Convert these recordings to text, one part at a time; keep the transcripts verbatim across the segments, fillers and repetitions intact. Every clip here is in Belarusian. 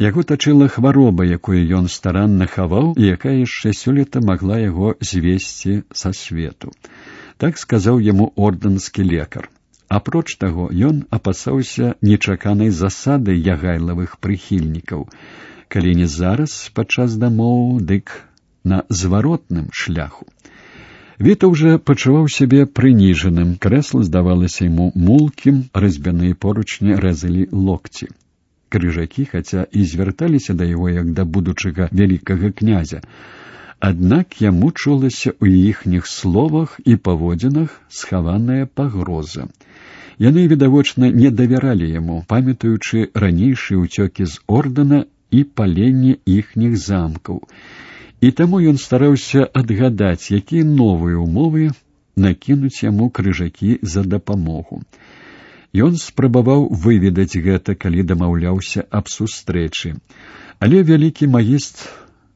Яго тачыла хвароба, якую ён старанна хаваў і якая яшчэ сёлета магла яго звесці са свету. Так сказаў яму ордэнскі лекар. Апроч таго, ён апасаўся нечаканай засады ягайлавых прыхільнікаў, калі не зараз падчас дамоў, дык на зваротным шляху. Віта ўжо пачуваў сябе прыніжаным, крэсла здавалася яму мулкім, разьбяныя поручні рэзалі локці. Крыжакі, хаця і звярталіся да яго як да будучага вялікага князя, аднак яму чулася ў іхніх словах і паводзінах схаваная пагроза. Яны, відавочна, не давяралі яму, памятаючы ранейшыя ўцёкі з ордэна і паленне іхніх замкаў. І таму ён стараўся адгадаць, якія новыя ўмовы накінуць яму крыжакі за дапамогу. Ён спрабаваў выведаць гэта, калі дамаўляўся аб сустрэчы. Але вялікі магістр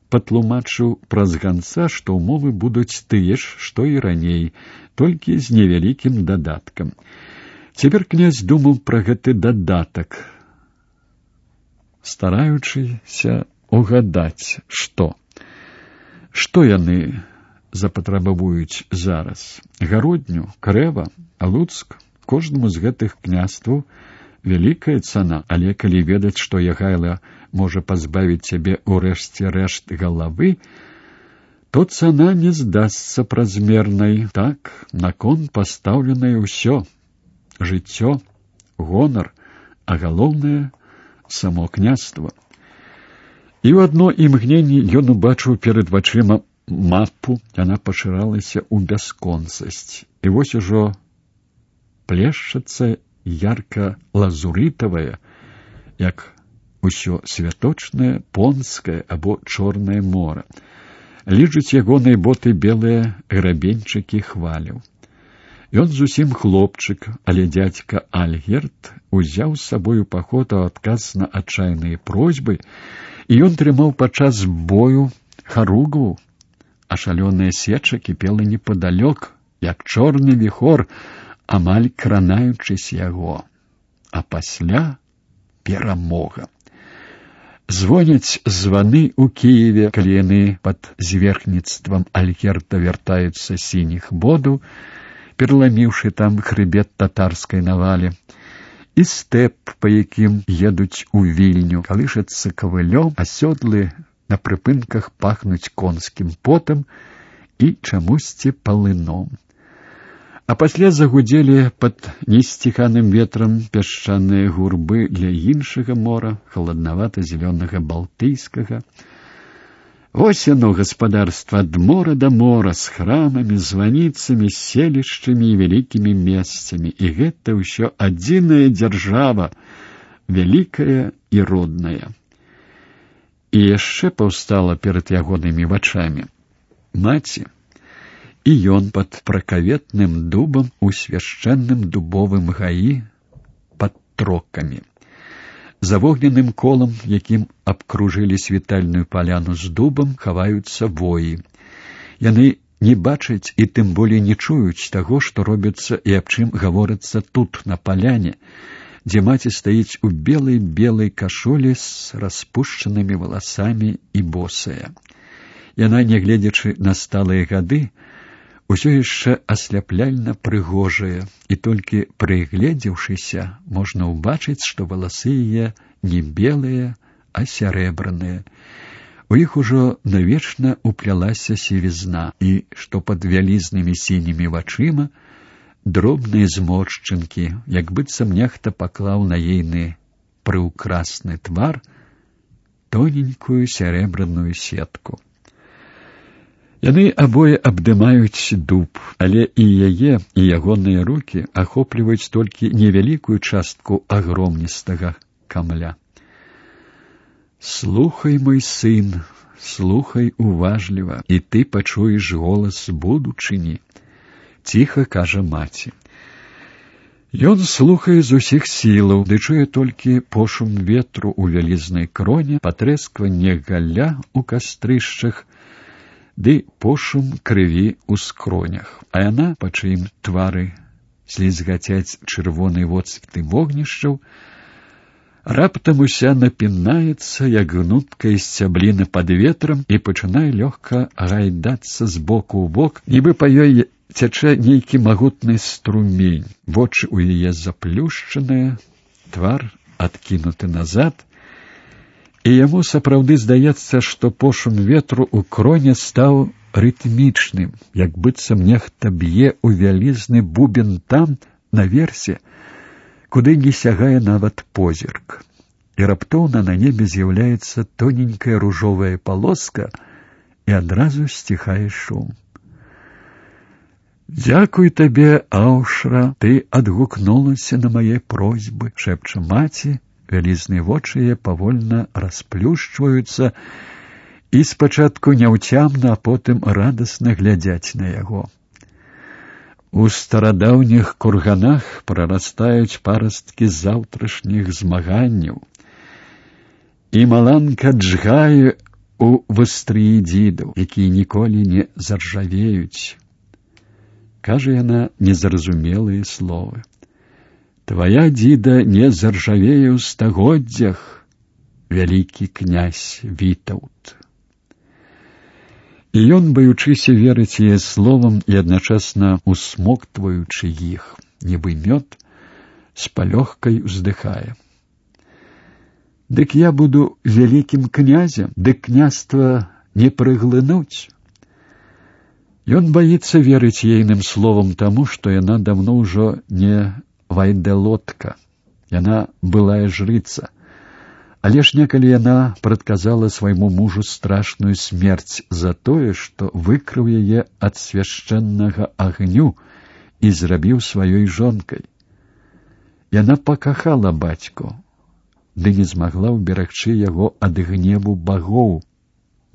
патлумачыў праз ганца, што ўмовы будуць тыя ж, што і раней, толькі з невялікім дадаткам. Цяпер князь думаў пра гэты дадатак, стараючыся угадаць, што. Што яны запатрабуюць зараз? Гародню, Крэва, Луцк? Кожнаму з гэтых княстваў вялікая цана, але калі ведаць, што Ягайла можа пазбавіць цябе ў рэшце рэшт галавы, то цана не здасца празмернай. Так, на кон пастаўленае ўсё. Жыццё, гонар, а галоўнае — само княства. І ў адно імгненне ён убачыў перад вачыма мапу, яна пашыралася ў бясконцасць. І вось ужо плешчацца ярка-лазурытавае, як усё святочнае, понскае або чорнае мора. Лічуць ягоныя боты белыя грабеньчыкі хваляў. Ён зусім хлопчык, але дзядзька Альгерт узяў з сабою паход у адказ на адчайныя просьбы, і ён трымаў падчас бою харугву, а шалёная сеча кіпела непадалёк, як чорны віхор, амаль кранаючыся яго. А пасля перамога. Звоняць званы ў Кіеве, калі яны пад зверхніцтвам Альгерта вяртаюцца сініх бодаў, пераламіўшы там хрыбет татарскай навалі, і стэп, па якім едуць у Вільню, калышацца кавылём, а сёдлы на прыпынках пахнуць конскім потам і чамусьці палыном. А пасля загудзелі пад несціханым ветрам пясчаныя гурбы для іншага мора, халаднавата-зялёнага балтыйскага. Вось яно, гаспадарства, ад мора да мора, з храмамі, званіцамі, селішчамі і вялікімі месцамі. І гэта ўсё адзіная дзяржава, вялікая і родная. І яшчэ паўстала перад ягонымі вачамі маці, і ён пад пракаветным дубам у свяшчэнным дубовым гаі пад трокамі. За вогненным колам, якім абкружылі світальную паляну з дубам, хаваюцца воі. Яны не бачаць і тым болей не чуюць таго, што робіцца і аб чым гаворыцца тут, на паляне, дзе маці стаіць у белай-белай кашулі з распушчанымі валасамі і босая. Яна, нягледзячы на сталыя гады, усё яшчэ асляпляльна прыгожая, і толькі прыгледзеўшыся, можна ўбачыць, што валасы яе не белыя, а сярэбраныя. У іх ужо навечна уплялася сівізна, і што пад вялізнымі сінімі вачыма дробныя зморшчынкі, як быццам нехта паклаў на ейны прыўкрасны твар тоненькую сярэбраную сетку. Яны абое абдымаюць дуб, але і яе, і ягоныя рукі ахопліваюць толькі невялікую частку агромністага камля. «Слухай, мой сын, слухай уважліва, і ты пачуеш голас будучыні», — ціха кажа маці. Ён слухае з усіх сілаў, ды чуе толькі пошум ветру ў вялізнай кроне, патрэскванне галля ў кастрышчах, ды пошум крыві ў скронях, а яна, па чыім твары слізгацяць чырвоныя водсветы вогнішчаў, Раптам уся напінаецца, як гнуткая сцябліна пад ветрам, і пачынае лёгка гайдацца з боку ў бок, нібы па ёй цячэ нейкі магутны струмень. Вочы ў яе заплюшчаныя, твар адкінуты назад, і яму сапраўды здаецца, што пошум ветру ў кроне стаў рытмічным, як быццам нехта б'е ў вялізны бубен там, наверсе, куды не сягае нават позірк. І раптоўна на небе з'яўляецца тоненькая ружовая палоска, і адразу сціхае шум. «Дзякуй табе, Аўшра, ты адгукнулася на мае просьбы», — шэпча маці, вялізныя вочы яе павольна расплюшчваюцца і спачатку няўцямна, а потым радасна глядзяць на яго. У старадаўніх курганах прарастаюць парасткі заўтрашніх змаганняў, і маланка джгае у вастрыі дзідаў, якія ніколі не заржавеюць. Кажа яна незразумелыя словы. «Твая дзіда не заржавее ў стагоддзях, вялікі князь Вітаўт». І ён, баючыся верыць яе словам і адначасна усмоктваючы іх, нібы мёд, з палёгкай уздыхае. «Дык я буду вялікім князем, дык княства не прыглынуць». Ён баіцца верыць ейным словам таму, што яна даўно ўжо не вайдэлотка, яна былая жрыца. Але ж некалі яна прадказала свайму мужу страшную смерць за тое, што выкрыў яе ад свяшчэннага агню і зрабіў сваёй жонкай. Яна пакахала бацьку, ды не змагла ўберагчы яго ад гневу багоў.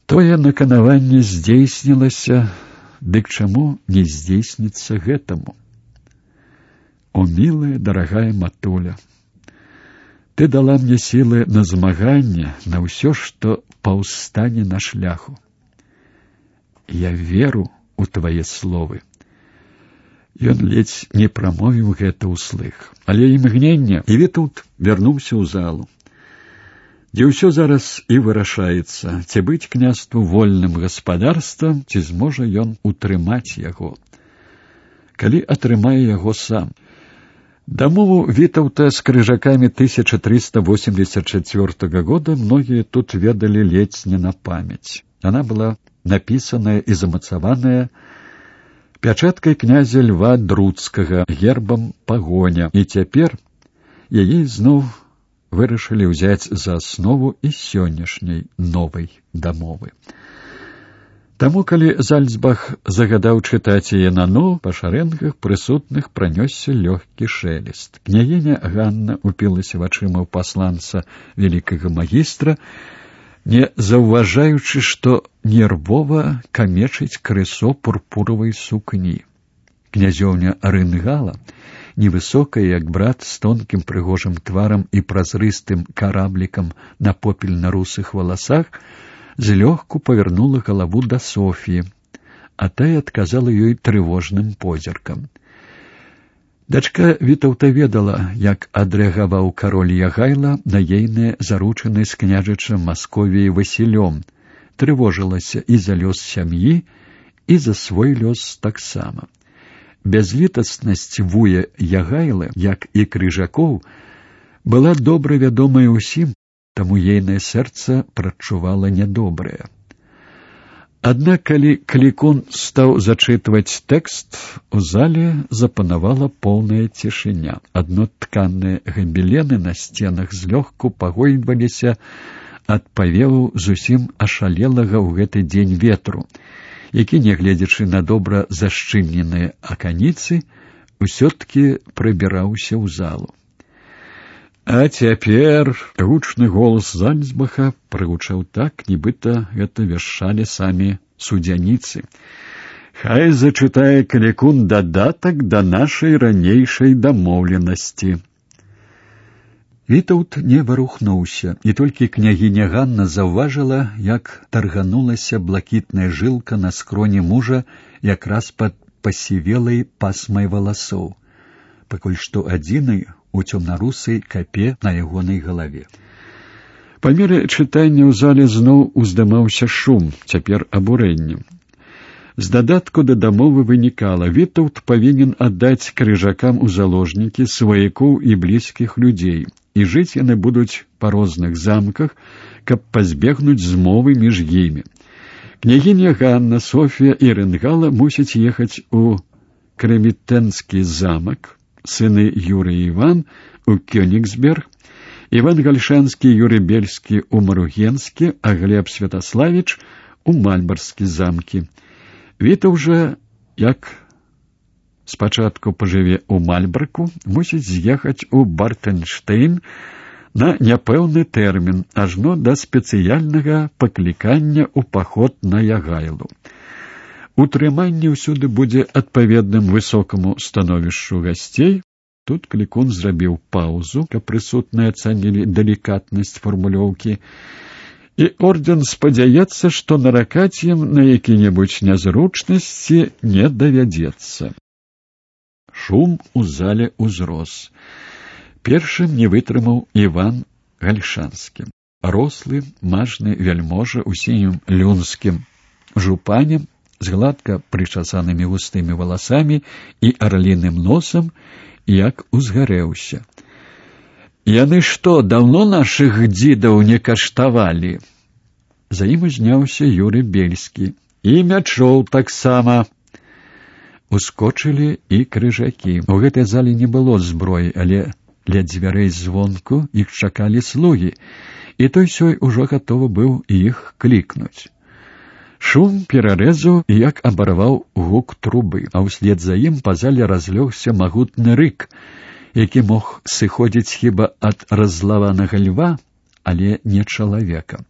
Тое наканаванне здзейснілася, дык чаму не здзейсніцца гэтаму? О, мілая, дарагая матуля, ты дала мне сілы на змаганне, на ўсё, што паўстане на шляху. Я веру у твае словы. Ён ледзь не прамовіў гэта ўслых, але імгнення, і Вітаўт вярнуўся ў залу, дзе ўсё зараз і вырашаецца, ці быць княству вольным гаспадарствам, ці зможа ён утрымаць яго, калі атрымае яго сам. Дамову Вітаўта з крыжакамі тысяча трыста восемьдесят четвёртого года многія тут ведалі ледзь не на памяць. Она была напісаная і замацаваная пячаткай князя Льва Друцкага, гербам пагоня, і цяпер яе зноў вырашылі ўзяць за аснову і сённяшняй новай дамовы. Таму, калі Зальцбах загадаў чытаць яе наноў, па шарэнгах прысутных пранёсся лёгкі шэлест. Княгіня Ганна упілася вачыма ў пасланца вялікага магістра, не заўважаючы, што нервова камечыць крысо пурпуравай сукні. Князёўня Рынгала, невысокая, як брат, з тонкім прыгожым тварам і празрыстым караблікам на попельна-русых валасах, злёгку павярнула галаву да Софіі, а тая адказала ёй трывожным позіркам. Дачка Вітаўта ведала, як адрэагаваў кароль Ягайла на ейныя заручыны з княжычам Масковіі Васілём, трывожылася і за лёс сям'і, і за свой лёс таксама. Бязлітаснасць вуя Ягайлы, як і крыжакоў, была добра вядомая ўсім, таму ейнае сэрца прадчувала нядобрае. Аднак, калі Клікун стаў зачытваць тэкст, у зале запанавала поўная цішыня. Адно тканыя габелены на сценах злёгку пагойдваліся ад павеваў зусім ашалелага ў гэты дзень ветру, які, нягледзячы на добра зашчымненыя аканіцы, усё-ткі прыбіраўся ў залу. А цяпер гучны голас Зальцбаха прагучаў так, нібыта гэта вяшчалі самі судзяніцы. Хай зачытае Клікун дадатак да нашай ранейшай дамоўленасці. Вітаўт не варухнуўся, і толькі княгіня Ганна заўважыла, як тарганулася блакітная жылка на скроні мужа якраз пад пасівелай пасмай валасоў. Пакуль што адзінай у цёмнарусай капе на ягонай галаве. Па меры чытання ў зале зноў уздымаўся шум, цяпер абурэнне. З дадатку да дамовы вынікала, Вітаўт павінен аддаць крыжакам у заложнікі сваякоў і блізкіх людзей, і жыць яны будуць па розных замках, каб пазбегнуць змовы між імі. Княгіня Ганна, Софія і Рэнгала мусяць ехаць у Кремітэнскі замак, сыны Юрый і Іван у Кёнігсберг, Іван Гальшанскі і Юрый Бельскі ў Маругенскі, а Глеб Святаславіч у Мальбарскі замкі. Вітаў жа, як спачатку пажыве ў Мальбарку, мусіць з'ехаць у Бартэнштэйн на няпэўны тэрмін, ажно да спецыяльнага паклікання ў паход на Ягайлу. Утрыманне ўсюды будзе адпаведным высокаму становішчу гасцей. Тут Клікун зрабіў паўзу, каб прысутныя ацанілі далікатнасць фармулёўкі, і ордэн спадзяецца, што наракаць ім на які-небудзь нязручнасці не давядзецца. Шум у зале ўзрос. Першым не вытрымаў Іван Гальшанскі. Рослы, мажны вяльможа ў сінім люнскім жупане, з гладка прычасанымі густымі валасамі і арліным носам, як узгарэўся. Яны што, даўно нашых дзідаў не каштавалі? За ім узняўся Юрый Бельскі. І мячоў таксама. Ускочылі і крыжакі. У гэтай зале не было зброі, але ля дзвярэй звонку іх чакалі слугі, і той сёй ужо гатовы быў іх клікнуць. Шум перарэзаў, як абарваў гук трубы, а ўслед за ім па зале разлёгся магутны рык, які мог сыходзіць хіба ад раззлаванага льва, але не чалавека.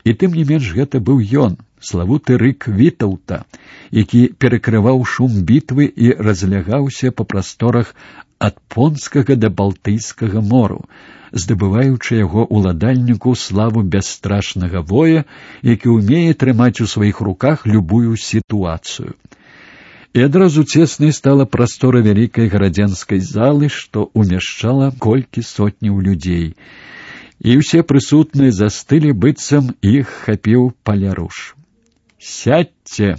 І тым не менш гэта быў ён, славуты рык Вітаўта, які перакрываў шум бітвы і разлягаўся па прасторах ад Понскага да Балтыйскага мору, здабываючы яго уладальніку славу бясстрашнага воя, які ўмее трымаць у сваіх руках любую сітуацыю. І адразу цеснай стала прастора вялікай гарадзенскай залы, што ўмяшчала колькі сотняў людзей. І ўсе прысутныя застылі, быццам іх хапіў паляруш. «Сядьце!»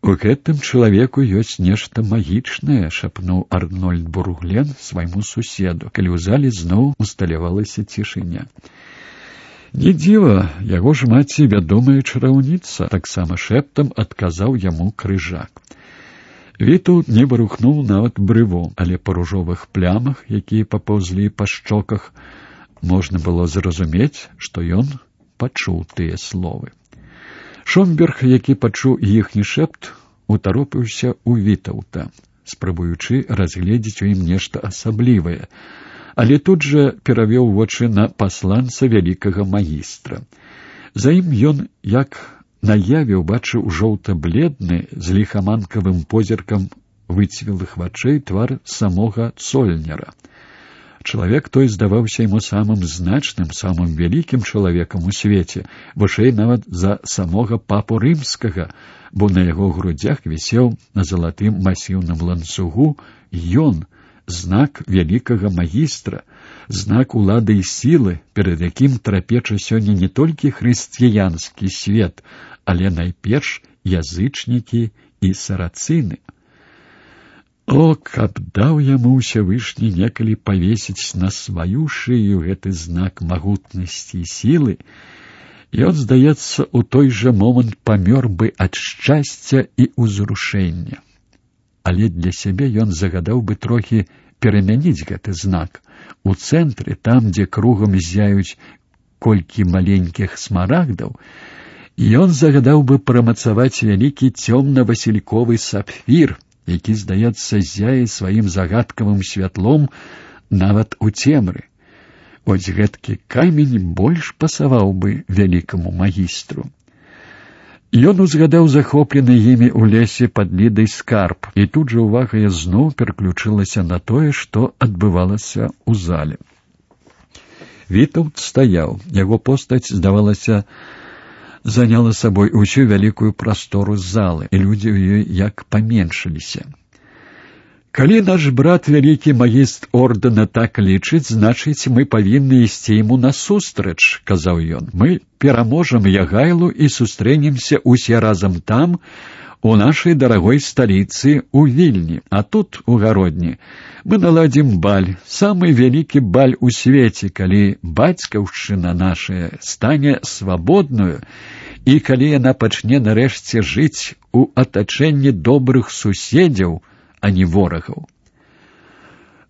«У гэтым чалавеку ёсць нешта магічнае», — шапнуў Арнольд Бурглен свайму суседу, калі ў зале зноў усталявалася цішыня. «Не дзіва, яго ж маці вядомая чараўніца», — таксама шэптам адказаў яму крыжак. Вітаўт не варухнуў нават брывом, але па ружовых плямах, якія папаўзлі па шчоках, можна было зразумець, што ён пачуў тыя словы. Шомберг, які пачуў іхні шэпт, утаропіўся ў Вітаўта, спрабуючы разгледзець у ім нешта асаблівае, але тут жа перавёў вочы на пасланца вялікага магістра. За ім ён, як наяве, убачыў жоўта-бледны, з ліхаманкавым позіркам выцвілых вачэй твар самога Цольнера. Чалавек той здаваўся яму самым значным, самым вялікім чалавекам у свеце, вышэй нават за самога папу рымскага, бо на яго грудзях вісеў на залатым масіўным ланцугу ён, знак вялікага магістра, знак улады і сілы, перад якім трапеча сёння не толькі хрысціянскі свет, але найперш язычнікі і сарацыны. О, каб даў яму Ўсявышні некалі павесіць на сваю шыю гэты знак магутнасці і сілы, ён, здаецца, у той жа момант памёр бы ад шчасця і ўзрушэння. Але для сябе ён загадаў бы трохі перамяніць гэты знак. У цэнтры, там, дзе кругам зяюць колькі маленькіх смарагдаў, ён загадаў бы прамацаваць вялікі цёмна-васільковы сапфір, які, здаецца, зяе сваім загадкавым святлом нават у цемры. Вось гэткі камень больш пасаваў бы вялікаму магістру. Ён узгадаў захоплены імі ў лесе пад Лідай скарб, і тут жа ўвага зноў пераключылася на тое, што адбывалася ў зале. Вітаўт стаяў, яго постаць, здавалася, заняла сабой усю вялікую прастору залы, і людзі ў ёй як паменшыліся. Калі наш брат вялікі магіст ордэна так лічыць, значыць, мы павінны ісці яму насустрач, казаў ён. Мы пераможам Ягайлу і сустрэнемся усе разам там, у нашай дарагой сталіцы, у Вільні, а тут, у Гародні, мы наладзім баль, самы вялікі баль у свеце, калі бацькаўшчына нашая стане свабоднаю, і калі яна пачне нарэшце жыць у атачэнні добрых суседзяў, а не ворагаў.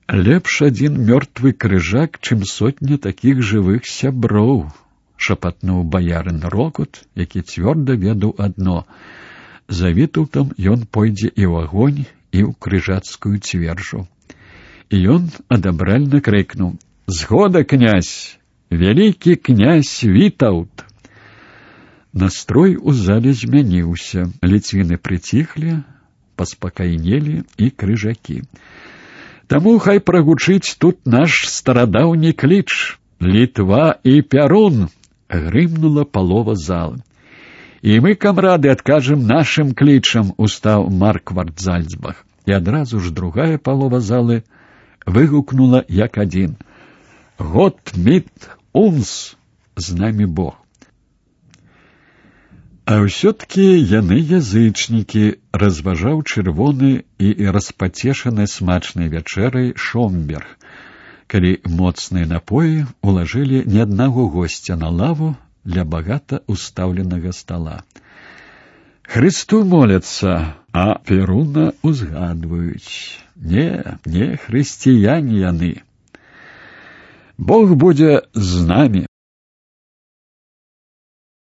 Лепш адзін мёртвы крыжак, чым сотня такіх жывых сяброў, шапатнуў баярын Рокут, які цвёрда ведаў адно: за Вітаўтам ён пойдзе і ў агонь, і ў крыжацкую цвержу. І ён адабральна крыкнуў: «Згода, князь! Вялікі князь Вітаўт!» Настрой у зале змяніўся. Ліцвіны прыціхлі, паспакайнелі і крыжакі. Таму хай прагучыць тут наш старадаўні кліч: «Літва і Пярун!» — грымнула палова залы. «І мы, камрады, адкажем нашым клічам», — устаў Марквард Зальцбах. І адразу ж другая палова залы выгукнула як адзін: «Гот міт унс! З намі Бог!» А ўсё-ткі яны язычнікі, разважаў чырвоны і распацешаны смачнай вячэрай Шомберг, калі моцныя напоі улажылі не аднаго госця на лаву для багата устаўленага стала. Хрысту моляцца, а Перуна узгадваюць. Не, не хрысціяне яны. Бог будзе з намі.